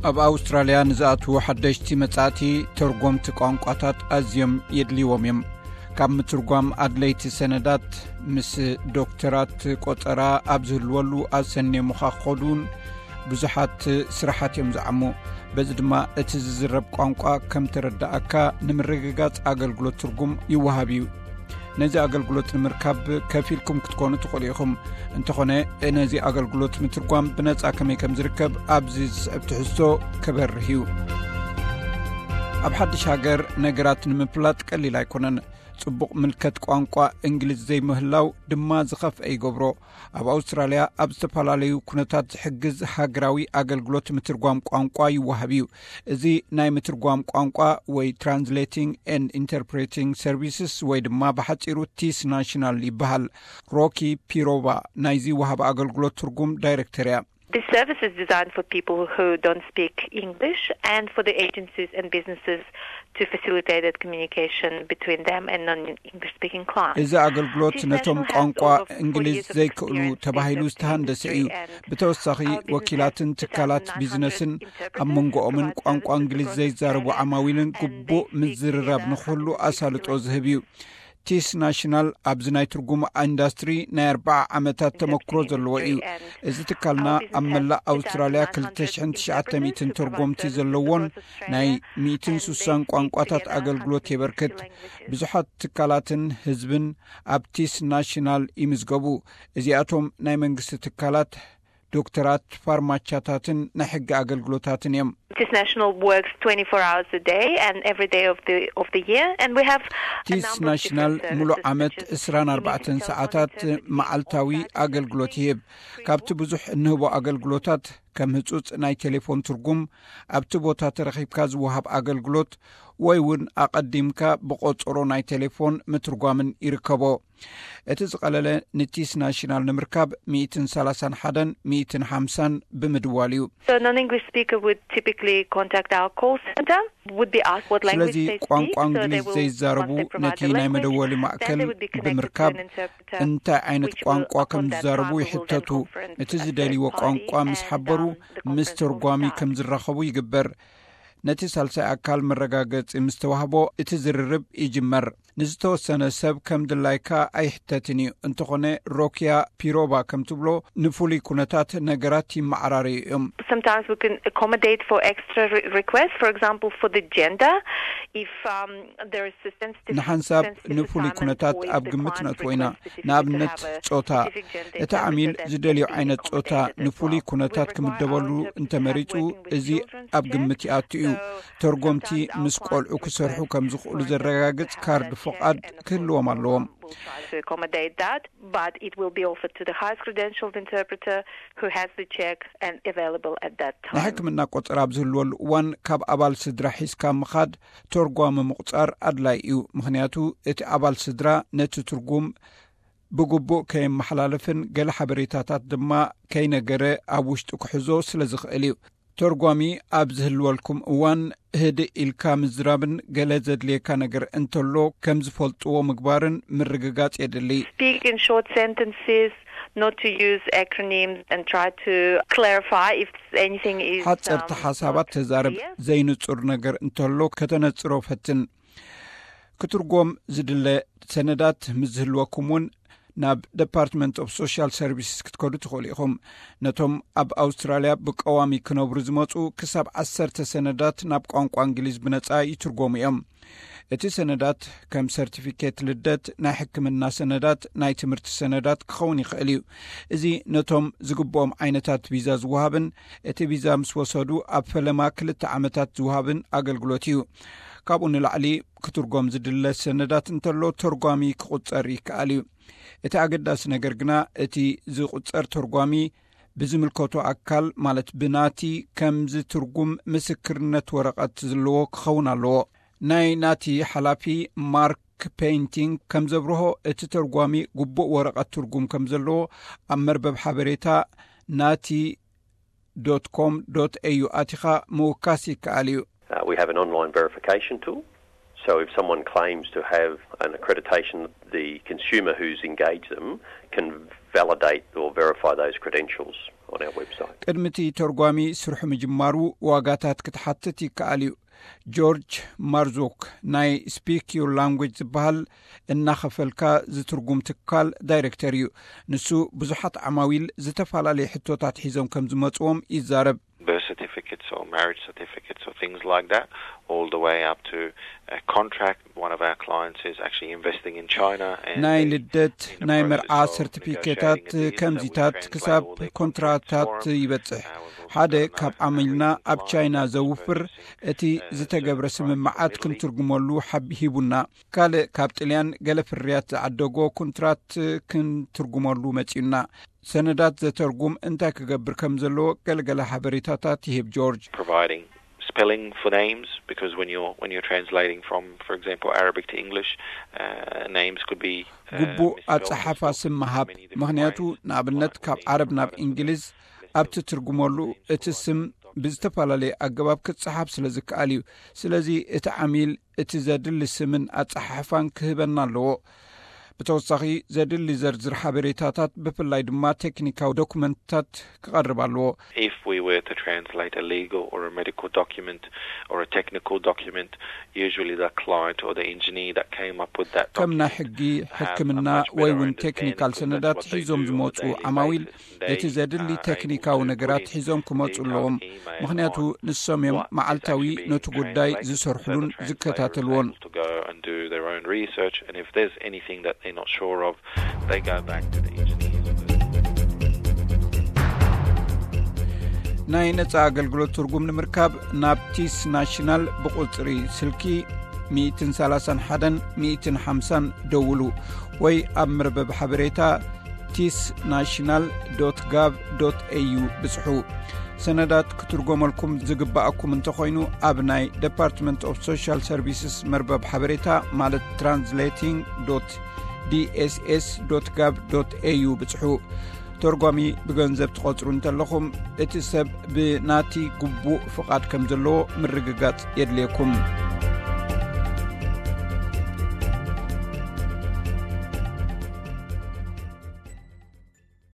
ኣብ ኣውስትራልያ ንዝኣትዉ ሓደሽቲ መጻእቲ ተርጎምቲ ቋንቋታት ኣዝዮም የድልይዎም እዮም። ካብ ምትርጓም ኣድለይቲ ሰነዳት፣ ምስ ዶክተራት ቆጸራ ኣብ ዝህልወሉ ኣሰንዮምኻ ክኸዱን ብዙሓት ስራሓት እዮም ዝዓሙ። በዚ ድማ እቲ ዝዝረብ ቋንቋ ከም ተረዳኣካ ንምርግጋጽ ኣገልግሎት ትርጉም ይወሃብ እዩ። ነዚ ኣገልግሎት ንምርካብ ከፊልኩም ክትኮኑ ትኽእሉ ኢኹም። እንተኾነ፣ ነዚ ኣገልግሎት ምትርጓም ብነጻ ከመይ ከም ዝርከብ ኣብዚ ዝስዕብ ትሕዝቶ ከበርህ እዩ። ኣብ ሓድሽ ሃገር ነገራት ንምፍላጥ ቀሊል ኣይኮነን። ጽቡቕ ምልከት ቋንቋ እንግሊዝ ዘይምህላው ድማ ዝኸፍአ ይገብሮ። ኣብ ኣውስትራልያ ኣብ ዝተፈላለዩ ኩነታት ዝሕግዝ ሃገራዊ ኣገልግሎት ምትርጓም ቋንቋ ይወሃብ እዩ። እዚ ናይ ምትርጓም ቋንቋ ወይ Translating and Interpreting Services ወይ ድማ ብሓጺሩ ቲስ ናሽናል ይበሃል። ሮኪ ፒሮቫ ናይዚ ወሃቢ ኣገልግሎት ትርጉም ዳይሬክተር እያ። This service is designed for people who don't speak English and for the agencies and businesses to facilitate that communication between them and non-English speaking clients. እዚ ኣገልግሎት ነቶም ቋንቋ እንግሊዝ ዘይክእሉ ተባሂሉ ዝተሃንደሰ እዩ። ብተወሳኺ፣ ወኪላትን ትካላት ቢዝነስን ኣብ መንጎኦምን ቋንቋ እንግሊዝ ዘይዛረቡ ዓማዊልን ግቡእ ምዝርራብ ንክህሉ ኣሳልጦ ዝህብ እዩ። ቲስ ናሽናል ኣብዚ ናይ ትርጉም ኢንዳስትሪ ናይ ኣርባዓ ዓመታት ተመክሮ ዘለዎ እዩ። እዚ ትካልና ኣብ መላእ ኣውስትራልያ ክልተ ሽሕን ትሽዓተ ሚእትን ተርጎምቲ ዘለዎን ናይ ሚእትን ስሳን ቋንቋታት ኣገልግሎት የበርክት። ብዙሓት ትካላትን ህዝብን ኣብ ቲስ ናሽናል ይምዝገቡ። እዚኣቶም ናይ መንግስቲ ትካላት፣ ዶክተራት፣ ፋርማቻታትን ናይ ሕጊ ኣገልግሎታትን እዮም። This national works twenty-four hours a day and every day of the of the year, and we have a ቲስ number of ናሽናል different ሙሉእ services ዓመት such as እስራን ኣርባዕተን ሰዓታት መዓልታዊ ኣገልግሎት ይህብ። ካብቲ ብዙሕ እንህቦ ኣገልግሎታት፣ ከም ህጹጽ ናይ ቴሌፎን ትርጉም፣ ኣብቲ ቦታ ተረኺብካ ዝወሃብ ኣገልግሎት፣ ወይ እውን ኣቐዲምካ ብቆጸሮ ናይ ቴሌፎን ምትርጓምን ይርከቦ። እቲ ዝቐለለ ንቲስ ናሽናል ንምርካብ ሚእትን ሰላሳን ሓደን ሚእትን ሓምሳን ብምድዋል እዩ። So non-English speaker would typically contact our call center, would be asked what language ስለዚ they speak, ቋንቋ so እንግሊዝ they will ዘይዛረቡ once they provide ነቲ the ናይ language, መደወሊ then ማእከል they would be connected to ብምርካብ an interpreter, እንታይ ዓይነት which will ቋንቋ upon ከም that ዝዛረቡ time will then ይሕተቱ። Conference እቲ a ዝደልይዎ third ቋንቋ party ምስ and ሓበሩ um, the ምስ conference will ተርጓሚ start. ከም ዝራኸቡ ይግበር። ነቲ ሳልሳይ ኣካል መረጋገጺ ምስ ተዋህቦ እቲ ዝርርብ ይጅመር። ንዝተወሰነ ሰብ ከም ድላይካ ኣይሕተትን እዩ። እንተኾነ፣ ሮኪያ ፒሮቫ ከም ትብሎ፣ ንፍሉይ ኩነታት ነገራት ይመዓራረዩ እዮም። Sometimes we can accommodate for extra re- requests, for example, for the gender, if um, there is a sensitive ንሓንሳብ sensitive ንፍሉይ assignment ኩነታት or if ኣብ the ግምት client ነእትዎ ኢና። Requests specific ንኣብነት፣ to have a ጾታ። Specific gender እቲ ዓሚል interpreter, ዝደልዮ then we ዓይነት ጾታ accommodate that ንፍሉይ ኩነታት ክምደበሉ እንተመሪጹ፣ እዚ ኣብ ግምት ይኣቱ እዩ። ተርጎምቲ ምስ ቆልዑ ክሰርሑ ከም ዝኽእሉ ዘረጋግጽ ካርድ ፍቓድ ክህልዎም ኣለዎም። But it will be offered to the highest credentialed interpreter who has the check and available at that time. ናይ ሕክምና ቆጸራ ኣብ ዝህልወሉ እዋን፣ ካብ ኣባል ስድራ ሒዝካ ምኻድ፣ ተርጓሚ ምቑጻር ኣድላይ እዩ። ምኽንያቱ፣ እቲ ኣባል ስድራ ነቲ ትርጉም ብግቡእ ከየመሓላልፍን ገለ ሓበሬታታት ድማ ከይነገረ ኣብ ውሽጡ ክሕዞ ስለ ዝኽእል እዩ። ተርጓሚ ኣብ ዝህልወልኩም እዋን፣ ህድእ ኢልካ ምዝራብን ገለ ዘድልየካ ነገር እንተሎ ከም ዝፈልጥዎ ምግባርን ምርግጋጽ የድሊ። Speak in short sentences, not to use acronyms, and try to clarify if anything is ሓጸርቲ ሓሳባት ተዛረብ። ዘይንጹር ነገር እንተሎ ከተነጽሮ ፈትን። ክትርጎም ዝድለ ሰነዳት ምስ ዝህልወኩም እውን ናብ Department of Social Services ክትከዱ ትኽእሉ ኢኹም። ነቶም ኣብ ኣውስትራልያ ብቀዋሚ ክነብሩ ዝመጹ ክሳብ ዓሰርተ ሰነዳት ናብ ቋንቋ እንግሊዝ ብነጻ ይትርጎሙ እዮም። እቲ ሰነዳት ከም ሰርቲፊኬት ልደት፣ ናይ ሕክምና ሰነዳት፣ ናይ ትምህርቲ ሰነዳት ክኸውን ይኽእል እዩ። እዚ ነቶም ዝግብኦም ዓይነታት ቪዛ ዝወሃብን እቲ ቪዛ ምስ ወሰዱ ኣብ ፈለማ ክልተ ዓመታት ዝወሃብን ኣገልግሎት እዩ። ካብኡ ንላዕሊ ክትርጎም ዝድለ ሰነዳት እንተሎ ተርጓሚ ክቑጸር ይከኣል እዩ። እቲ ኣገዳሲ ነገር ግና እቲ ዝቑጸር ተርጓሚ ብዝምልከቶ ኣካል፣ ማለት ብናቲ፣ ከም ዝትርጉም ምስክርነት ወረቐት ዘለዎ ክኸውን ኣለዎ። ናይ ናቲ ሓላፊ ማርክ ፔይንቲንግ ከም ዘብርሆ፣ እቲ ተርጓሚ ግቡእ ወረቐት ትርጉም ከም ዘለዎ ኣብ መርበብ ሓበሬታ ናቲ ዶት ኮም ዶት ኤዩ ኣቲኻ ምውካስ ይከኣል እዩ። Uh, we have an online verification tool. So if someone claims to have an accreditation, the consumer who's engaged them can validate or verify those credentials. ቅድሚ እቲ ተርጓሚ ስርሑ ምጅማሩ ዋጋታት ክትሓትት ይከኣል እዩ። ጆርጅ ማርዞክ ናይ ስፒክ ዩር ላንጉጅ ዝበሃል እናኸፈልካ ዝትርጉም ትካል ዳይሬክተር እዩ። ንሱ ብዙሓት ዓማዊል ዝተፈላለዩ ሕቶታት ሒዞም ከም ዝመፅዎም ይዛረብ። Birth certificates or marriage certificates or things like that, all the way up to a contract. One of our clients is actually investing in China. ናይ ልደት ናይ መርዓ ሰርቲፊኬታት ከምዚታት ክሳብ ኮንትራታት ይበጽሕ። ሓደ ካብ ዓሚልና ኣብ ቻይና ዘውፍር እቲ ዝተገብረ ስምምዓት ክንትርጉመሉ ሓብ ሂቡና። ካልእ ካብ ጥልያን ገለ ፍርያት ዝዓደጎ ኮንትራት ክንትርጉመሉ መጺኡና። ሰነዳት ዘተርጉም እንታይ ክገብር ከም ዘለዎ ገለገለ ሓበሬታታት ይህብ ጆርጅ። Providing spelling for names, because when you're when you're translating from, for example, Arabic to English, uh, names could be ግቡእ ኣጸሓፋ ስም ምሃብ። ምኽንያቱ ንኣብነት ካብ ዓረብ ናብ እንግሊዝ ኣብ ትትርጉመሉ እቲ ስም ብዝተፈላለየ ኣገባብ ክጸሓፍ ስለ ዝከኣል እዩ። ስለዚ እቲ ዓሚል እቲ ዘድሊ ስምን ኣጸሓሕፋን ክህበና ኣለዎ። ብተወሳኺ ዘድሊ ዘርዝር ሓበሬታታት ብፍላይ ድማ ቴክኒካዊ ዶኩመንትታት ክቐርብ ኣለዎ። If we were to translate a legal or a medical document or a technical document, usually the client or the engineer that came up with that ከም ናይ ሕጊ፣ ሕክምና ወይ እውን ቴክኒካል ሰነዳት ሒዞም ዝመፁ ዓማዊል እቲ ዘድሊ ቴክኒካዊ ነገራት ሒዞም ክመፁ ኣለዎም። ምኽንያቱ ንሶም እዮም መዓልታዊ ነቲ ጉዳይ ዝሰርሕሉን ዝከታተልዎን። to go and do their own research, and if there's anything that they're not sure of, they go back to the engineers. ናይ ነጻ ኣገልግሎት ትርጉም ንምርካብ ናብ ቲስ ናሽናል ብቁጽሪ ስልኪ ሚእትን ሰላሳን ሓደን ሚእትን ሓምሳን ደውሉ ወይ ኣብ መርበብ ሓበሬታ ቲስ ናሽናል ዶት ጋቭ ዶት ኤዩ ብጽሑ። ሰነዳት ክትርጎመልኩም ዝግባኣኩም እንተኾይኑ ኣብ ናይ Department of Social Services መርበብ ሓበሬታ ማለት translating dot D S S dot gov dot A U ብጽሑ። ተርጓሚ ብገንዘብ ትቖጽሩ እንተለኹም እቲ ሰብ ብናቲ ግቡእ ፍቓድ ከም ዘለዎ ምርግጋጽ የድልየኩም።